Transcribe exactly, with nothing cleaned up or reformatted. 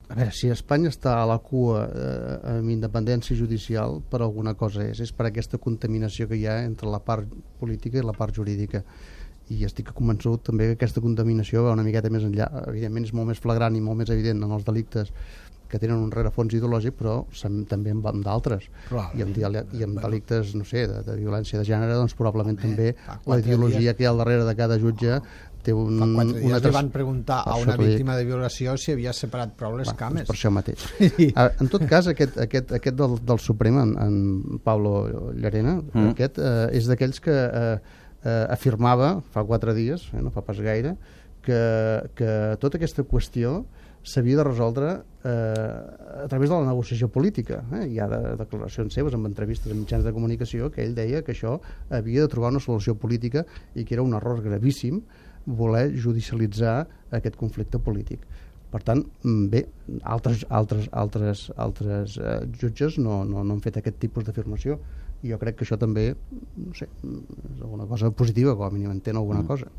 A veure, si Espanya està a la cua eh, amb independència judicial, per alguna cosa és. És per aquesta contaminació que hi ha entre la part política i la part jurídica. I estic convençut també que aquesta contaminació va una miqueta més enllà. Evidentment és molt més flagrant i molt més evident en els delictes que tenen un rerefons ideològic, però també en d'altres. I amb, i amb delictes, no sé, de, de violència de gènere, doncs probablement Home, també la ideologia dies... que hi ha al darrere de cada jutge té un... Fa quatre dies una li van preguntar a una víctima de violació si havia separat prou les Va, cames. Per això mateix. En tot cas, aquest, aquest, aquest del, del Suprem, en, en Pablo Llarena, mm. aquest eh, és d'aquells que eh, eh, afirmava fa quatre dies, eh, no fa pas gaire, que, que tota aquesta qüestió s'havia de resoldre eh, a través de la negociació política. Eh? Hi ha de, declaracions seves amb entrevistes en mitjans de comunicació que ell deia que això havia de trobar una solució política i que era un error gravíssim voler judicialitzar aquest conflicte polític. Per tant, bé, altres, altres, altres, altres eh, jutges no, no, no han fet aquest tipus d'afirmació. I jo crec que això també, no sé, és alguna cosa positiva, com a mínim entén alguna cosa.